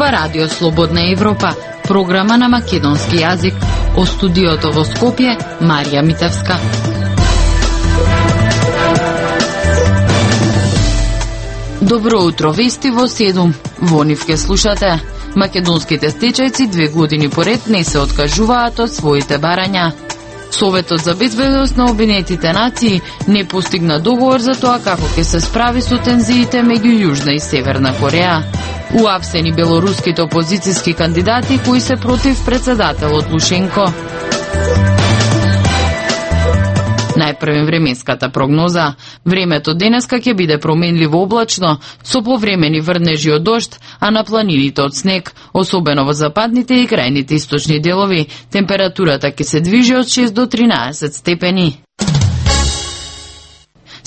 ова Радио Слободна Европа, програма на македонски јазик. О студиото во Скопје, Марија Митевска. Добро утро, вести во 7. Во нив ке слушате. Македонските стечајци 2 години поред не се откажуваат од своите барања. Советот за безбедност на Обединетите нации не постигна договор за тоа како ќе се справи со тензиите меѓу Јужна и Северна Кореја. Уапсени белоруските опозицијски кандидати кои се против председателот Лушенко. Најпрвен временската прогноза. Времето денеска ќе биде променливо облачно, со повремени врнежи од дожд, а на планините од снег, особено во западните и крајните источни делови. Температурата ќе се движи од 6 до 13 степени.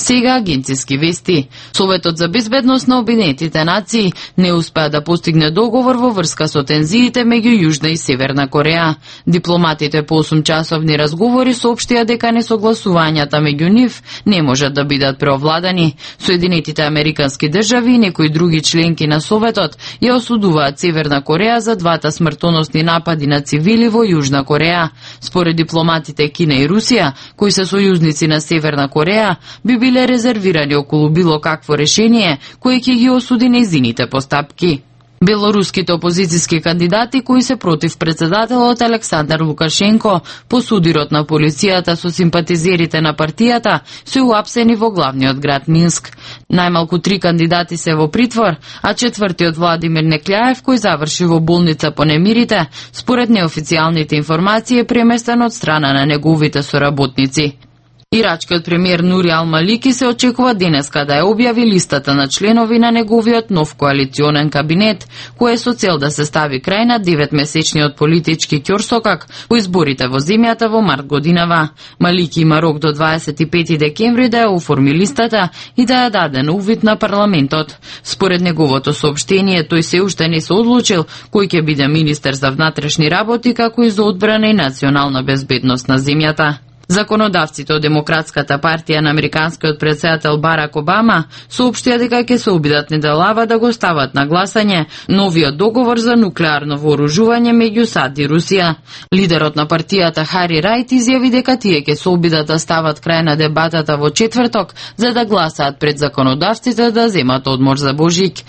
Сега агенциски вести. Советот за безбедност на Обединетите нации не успеа да постигне договор во врска со тензиите меѓу Јужна и Северна Кореја. Дипломатите по 8-часовни разговори соопштија дека несогласувањата меѓу нив не можат да бидат преовладани. Соединетите американски држави и некои други членки на Советот ја осудуваат Северна Кореја за двата смртоносни напади на цивили во Јужна Кореја. Според дипломатите Кина и Русија, кои се сојузници на Северна Кореја, би биле резервирани околу било какво решение кое ќе ги осуди нејзините постапки. Белоруските опозицијски кандидати кои се против председателот Александар Лукашенко по судирот на полицијата со симпатизерите на партијата се уапсени во главниот град Минск. Најмалку 3 кандидати се во притвор, а четвртиот Владимир Некљаев, кој заврши во болница по немирите, според неофицијалните информации е преместен од страна на неговите соработници. Ирачкиот премиер Нури Ал-Малики се очекува денеска да ја објави листата на членови на неговиот нов коалиционен кабинет, кој е со цел да се стави крај на 9-месечниот политички ќорсокак во изборите во земјата во март годинава. Малики има рок до 25 декември да ја оформи листата и да ја даде на увид на парламентот. Според неговото соопштение, тој се уште не се одлучил кој ќе биде министер за внатрешни работи, како и за одбрана и национална безбедност на земјата. Законодавците од Демократската партија на американскиот претседател Барак Обама соопштија дека ќе се обидат неделава да го стават на гласање новиот договор за нуклеарно вооружување меѓу САД и Русија. Лидерот на партијата Хари Рајт изјави дека тие ќе се обидат да стават крај на дебатата во четврток за да гласаат пред законодавците да земат одмор за Божик.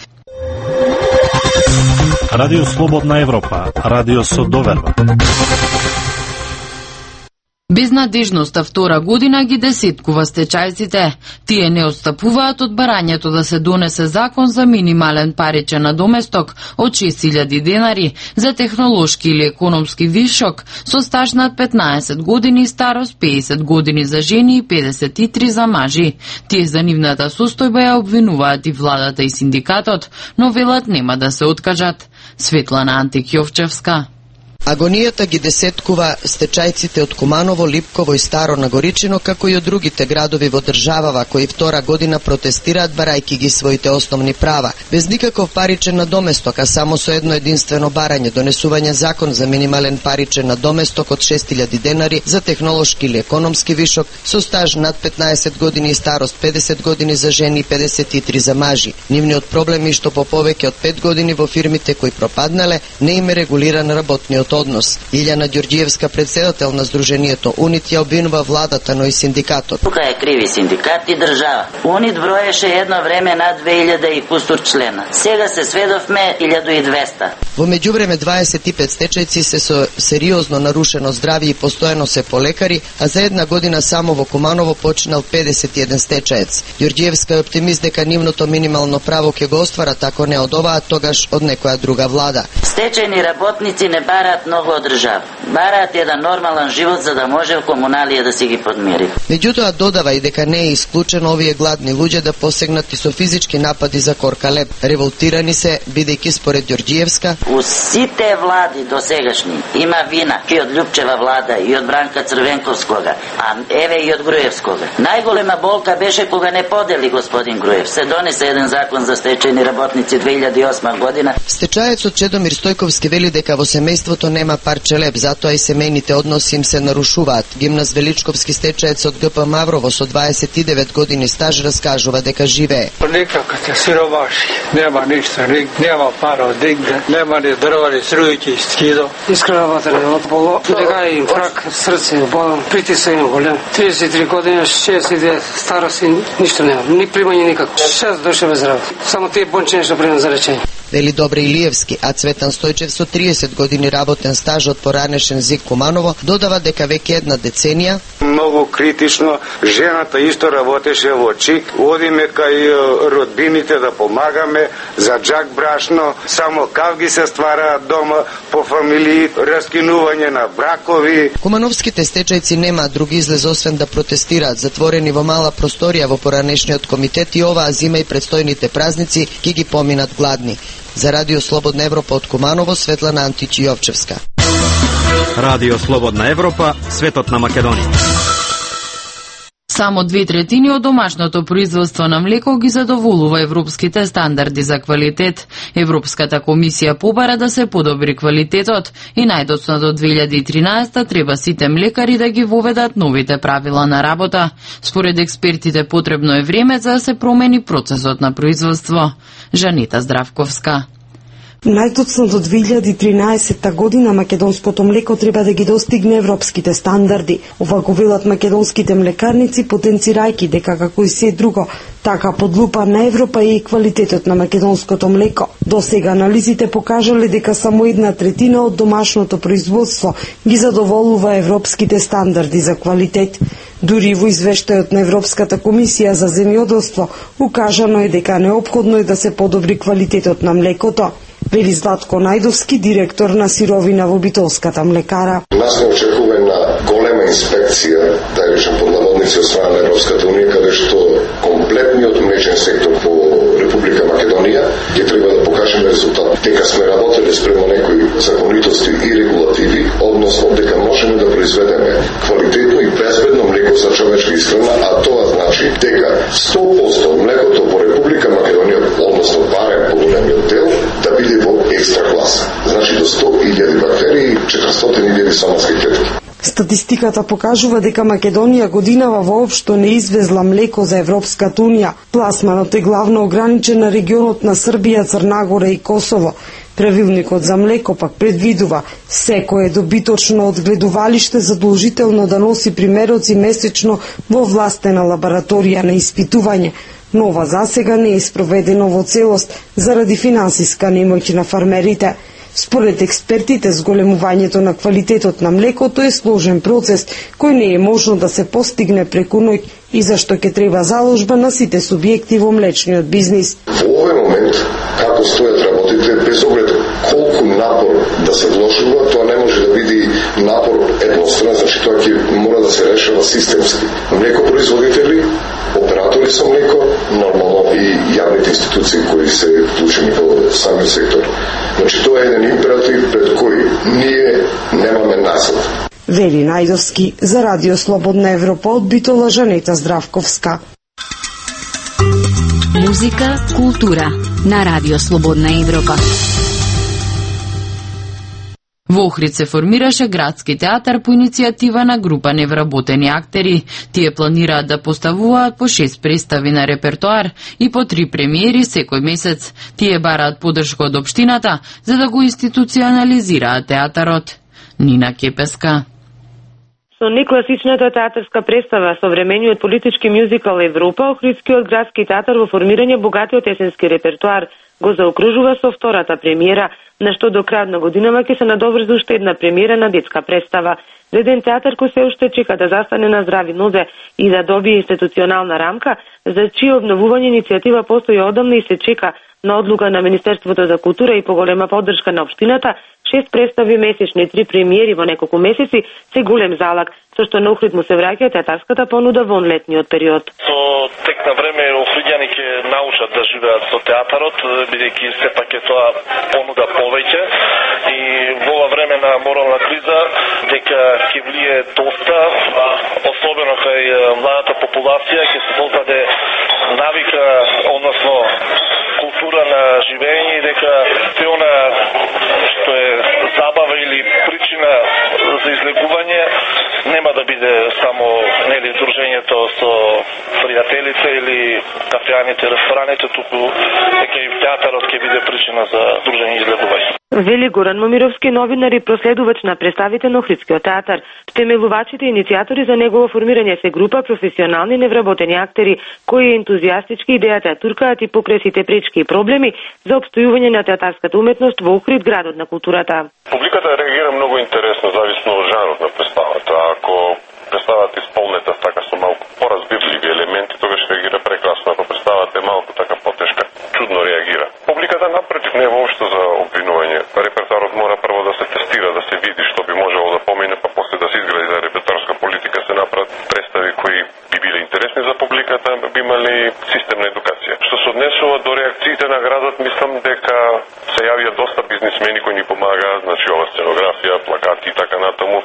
Радио Слободна Европа, радио со доверба. Безнадежноста втора година ги десеткува стечајците. Тие не отстапуваат од барањето да се донесе закон за минимален паричен надоместок од 6000 денари за технолошки или економски вишок со стаж над 15 години, старост 50 години за жени и 53 за мажи. Тие за нивната состојба ја обвинуваат и владата и синдикатот, но велат нема да се откажат. Светлана Антик-Јовчевска. Агонијата ги десеткува стечајците од Куманово, Липково и Старо Нагоричино, како и од другите градови во државава кои втора година протестираат барајки ги своите основни права. Без никаков паричен надоместок, а само со едно единствено барање, донесување закон за минимален паричен надоместок од 6000 денари за технолошки или економски вишок со стаж над 15 години и старост 50 години за жени и 53 за мажи. Нивниот проблем е што по повеќе од 5 години во фирмите кои пропаднале не им е регулиран работниот однос. Илјана Ѓорѓиевска, председател на Сдруженијето УНИТ, ја обвинува владата, но и синдикатот. Тука е криви синдикат и држава. УНИТ броеше едно време над 2000 и кустур члена. Сега се сведовме 1200. Во меѓувреме 25 стечајци се со сериозно нарушено здравје и постојано се по лекари, а за една година само во Куманово починал 51 стечаец. Ѓорѓиевска е оптимист дека нивното минимално право ќе го остварат, ако не од оваа, тогаш од некоја друга влада. Стечајни работници не бараат многу од држава. Бараат еден нормален живот за да може комуналија да си ги подмири. Меѓутоа додава и дека не е исклучено овие гладни луѓе да посегнат и со физички напади за коркалеп. Револтирани се, бидејќи според Ѓорѓиевска, у сите влади досегашни има вина и од Љупчева влада и од Бранка Црвенковскога, а еве и од Груевскога. Најголема болка беше кога не подели господин Груев. Се донесе еден закон за стечајни работници 2008 година. Стечаецот Чедомир Стојковски вели дека во семејството нема парче леп, затоа и семејните односи им се нарушуваат. Гимназ Величковски стечаец од ГП Маврово со 29 години стаж раскажува дека живее. Никако се сиромаши, нема ништо, нема пара од нигде, нема ни дрва, ни струјки, скидо. Искрена ватра, боло, дека и рак, срце, болам, притисок им голем. 33 години, 62 старост, ништо нема, ни примање никако. 6 души без работа. Само тие бончиња што примам за речење. Вели Добре Илиевски, а Цветан Стојчев со 30 години работен стаж од поранешен ЗИК Куманово додава дека веќе една деценија многу критично, жената исто работеше во ЧИК, одиме кај родбините да помагаме за джак брашно, само кавги се ствараат дома по фамилии, раскинување на бракови. Кумановските стечајци немаат други излез освен да протестираат, затворени во мала просторија во поранешниот комитет и оваа зима и предстојните празници ќе ги поминат гладни. За Радио Слободна Европа од Куманово, Светлана Античи-Јовчевска. Радио Слободна Европа, светот на Македонија. Само 2/3 од домашното производство на млеко ги задоволува европските стандарди за квалитет. Европската комисија побара да се подобри квалитетот и најдоцна до 2013 треба сите млекари да ги воведат новите правила на работа. Според експертите потребно е време за да се промени процесот на производство. Жанита Здравковска. Најдоцна до 2013 година македонското млеко треба да ги достигне европските стандарди. Ова го велат македонските млекарници, потенцирајќи дека како и се друго, така под лупа на Европа е и квалитетот на македонското млеко. До сега анализите покажале дека само 1/3 од домашното производство ги задоволува европските стандарди за квалитет. Дури во извештајот на Европската комисија за земјоделство укажано е дека неопходно е да се подобри квалитетот на млекото. Вели Златко Најдовски, директор на сировина во Битолската млекара. Нас не очекува на голема инспекција, да речем под наводници од страна на Европската унија, каде што комплетниот млечен сектор по Република Македонија ќе треба да покажеме резултат. Дека сме работеле спрема некои законитости и регулативи, односно дека можеме да произведеме квалитетно и безбедно млеко за човечка исхрана, а тоа значи дека 100% млекото по Република Македонија, односно барем по големиот дел, да биде во екстра класа. Значи до 100.000 бактерии, 400.000 соматски клетки. Статистиката покажува дека Македонија годинава воопшто не извезла млеко за Европската унија. Пласманот е главно ограничен на регионот на Србија, Црнагора и Косово. Правилникот за млеко пак предвидува секое добиточно одгледувалиште задолжително да носи примероци месечно во властена лабораторија на испитување. Но ова засега не е спроведено во целост заради финансиска немоќ на фармерите. Според експертите, зголемувањето на квалитетот на млекото е сложен процес, кој не е можно да се постигне преку ноќ и зашто ќе треба заложба на сите субјекти во млечниот бизнис. Во овој момент, како стојат работите, без оглед колку напор да се вложува, тоа не може да биде напор едностранен, значи тоа ќе мора да се решава системски. Млекопроизводители, оператори со млеко, нормално и јавните институции кои се вклучени во самиот сектор. Значи тоа е еден императив пред кој ние немаме насад. Вели Најдовски за Радио Слободна Европа од Битола, Жанета Здравковска. Музика, култура на Радио Слободна Европа. Во Охрид се формираше градски театар по иницијатива на група невработени актери. Тие планираат да поставуваат по 6 представи на репертоар и по 3 премиери секој месец. Тие бараат поддршка од општината за да го институционализираат театарот. Нина Кепеска. Со некласичната театарска представа современиот политички мюзикал Европа, Охридскиот градски театар во формирање богатиот есенски репертоар го заокружува со втората премиера, на што до крајот на годинава ќе се надоврзи уште една премиера на детска представа. Еден театар кој се уште чека да застане на здрави нозе и да добие институционална рамка, за чие обновување иницијатива постои одамна и се чека на одлука на Министерството за култура и поголема поддршка на општината, 6 представи месечни, 3 премиери во неколку месеци, се голем залак, со што на Охрид му се враќа театарската понуда во летниот период. Со тек на време охриѓани ќе научат да живеат со театарот, бидејќи сепак е тоа понуда повеќе и во ова време на морална криза дека ќе влие доста, особено кај младата популација, ќе се создаде навика, односно култура на живење и дека се она што е забава или за излегување нема да биде само дружењето со пријателите или кафеаните, рестораните, туку дека и театарот ќе биде причина за дружење и излегување. Вели Горан Момировски, новинар и проследувач на представите на Охридскиот театар. Втемелувачите и иницијатори за негово формирање се група професионални невработени актери кои ентузијастички идејата туркаат и покрај сите пречки и проблеми за опстојување на театарската уметност во Охрид, градот на културата. Публиката реагира многу интересно зависно од жанрот на представата. Ако представата исполнета така со малку поразбивливи елементи, тогаш реагира прекрасно. Ако представата е малку така потешка, чудно реагира. Публиката напротив не е воопшто за обвинување. Репертуарот мора прво да се тестира, да се види што би можело да помине, па после да се изгради за репертуарска политика, се направат представи кои би биле интересни за публиката, би имали системна едукација. Што се однесува до реакциите на градот, мислам дека се јавија доста бизнисмени кои ни помагаат, значи ова сценографија, плакати и така натаму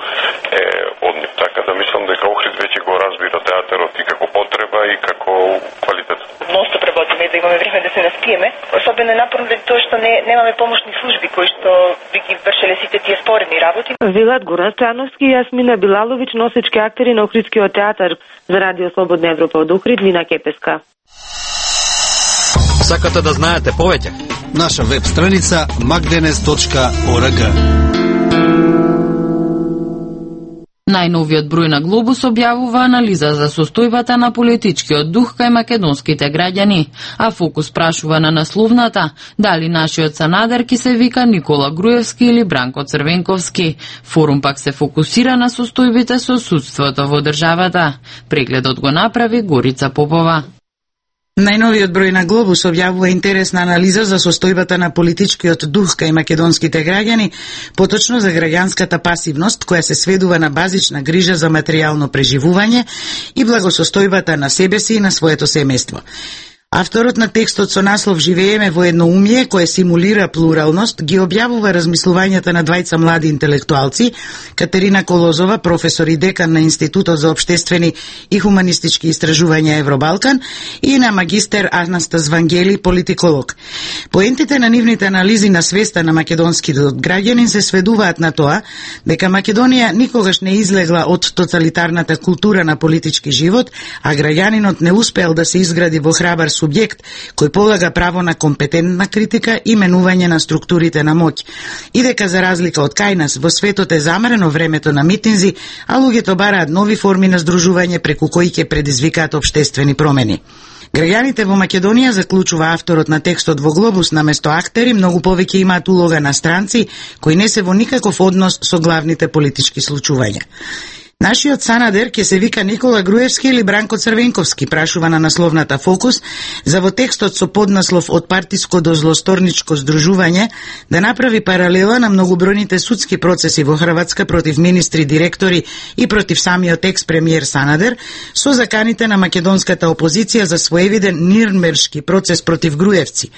е од нив. Така да мислам дека Охрид веќе го разбира театарот и како потреба и како квалитет. Ностоп работиме да имаме време да се наспиеме. Особено е напорно тоа што немаме помошни служби кои што би ги вршеле сите тие споредни работи. Велат Горан Стојановски и Јасмина Билаловиќ, носички актери на Охридскиот театар. За Радио Слободна Европа од Охрид, Мина Кепеска. Сакате да знаете повеќе? Наша веб страница magdenes.org. Најновиот број на Глобус објавува анализа за состојбата на политичкиот дух кај македонските граѓани, а Фокус прашува на насловната дали нашиот Санадер ки се вика Никола Груевски или Бранко Црвенковски. Форум пак се фокусира на состојбите со судството во државата. Прегледот го направи Горица Попова. Најновиот број на Глобус објавува интересна анализа за состојбата на политичкиот дух кај македонските граѓани, поточно за граѓанската пасивност која се сведува на базична грижа за материјално преживување и благосостојбата на себе си и на своето семејство. Авторот на текстот со наслов "Живееме во едноумие" кое симулира плуралност ги објавува размислувањата на двајца млади интелектуалци, Катерина Колозова, професор и декан на Институтот за општествени и хуманистички истражувања Евробалкан, и на магистер Анастас Вангели, политиколог. Поентите на нивните анализи на свеста на македонскиот граѓанин се сведуваат на тоа дека Македонија никогаш не излегла од тоталитарната култура на политички живот, а граѓанинот не успеал да се изгради во храбар субјект кој полага право на компетентна критика и менување на структурите на моќ. И дека за разлика од кај нас во светот е замрено времето на митинзи, а луѓето бараат нови форми на здружување преку кои ќе предизвикаат општествени промени. Граѓаните во Македонија, заклучува авторот на текстот во Глобус, наместо актери, многу повеќе имаат улога на странци кои не се во никаков однос со главните политички случувања. Нашиот Санадер ќе се вика Никола Груевски или Бранко Црвенковски, прашува на насловната Фокус, за во текстот со поднаслов "Од партиско до злосторничко здружување" да направи паралела на многобројните судски процеси во Хрватска против министри, директори и против самиот екс-премиер Санадер, со заканите на македонската опозиција за своевиден нирнбергшки процес против Груевци.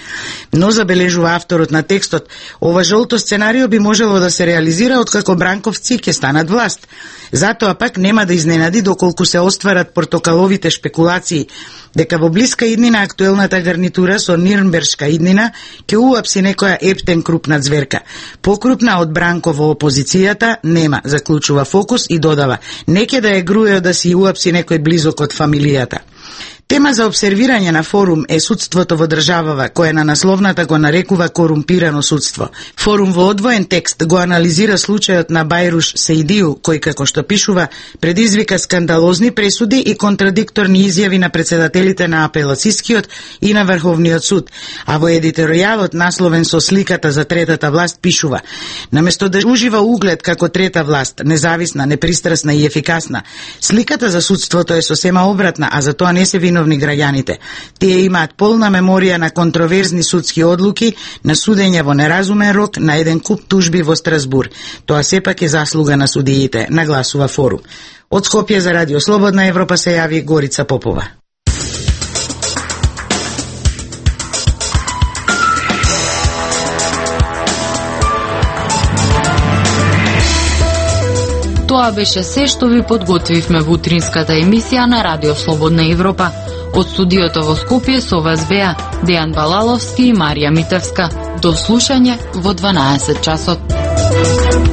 Но, забележува авторот на текстот, ова жолто сценарио би можело да се реализира откако Бранковци ќе станат власт. Затоа пак нема да изненади доколку се остварат портокаловите шпекулации дека во блиска иднина актуелната гарнитура со нирнбергшка иднина ќе уапси некоја ептен крупна зверка. Покрупна од Бранко во опозицијата нема, заклучува Фокус и додава, не ќе да е груео да си уапси некој близок од фамилијата. Тема за обсервирање на форум е судството во државава, која на насловната го нарекува корумпирано судство. Форум во одвоен текст го анализира случајот на Бајруш Сеидију, кој, како што пишува, предизвика скандалозни пресуди и контрадикторни изјави на председателите на апелацискиот и на Врховниот суд, а во едиторијалот насловен со сликата за третата власт пишува: наместо да ужива углед како трета власт, независна, непристрасна и ефикасна, сликата за судството е сосема обратна, а за тоа не се виновни граѓаните. Тие имаат полна меморија на контроверзни судски одлуки, на судење во неразумен рок, на еден куп тужби во Страсбур. Тоа сепак е заслуга на судиите, нагласува Форум. Од Скопје за Радио Слободна Европа се јави Горица Попова. Тоа беше се што ви подготвивме во утринската емисија на Радио Слободна Европа. Од студиото во Скопје со вас беа Дејан Балаловски и Марија Митевска. До слушање во 12 часот.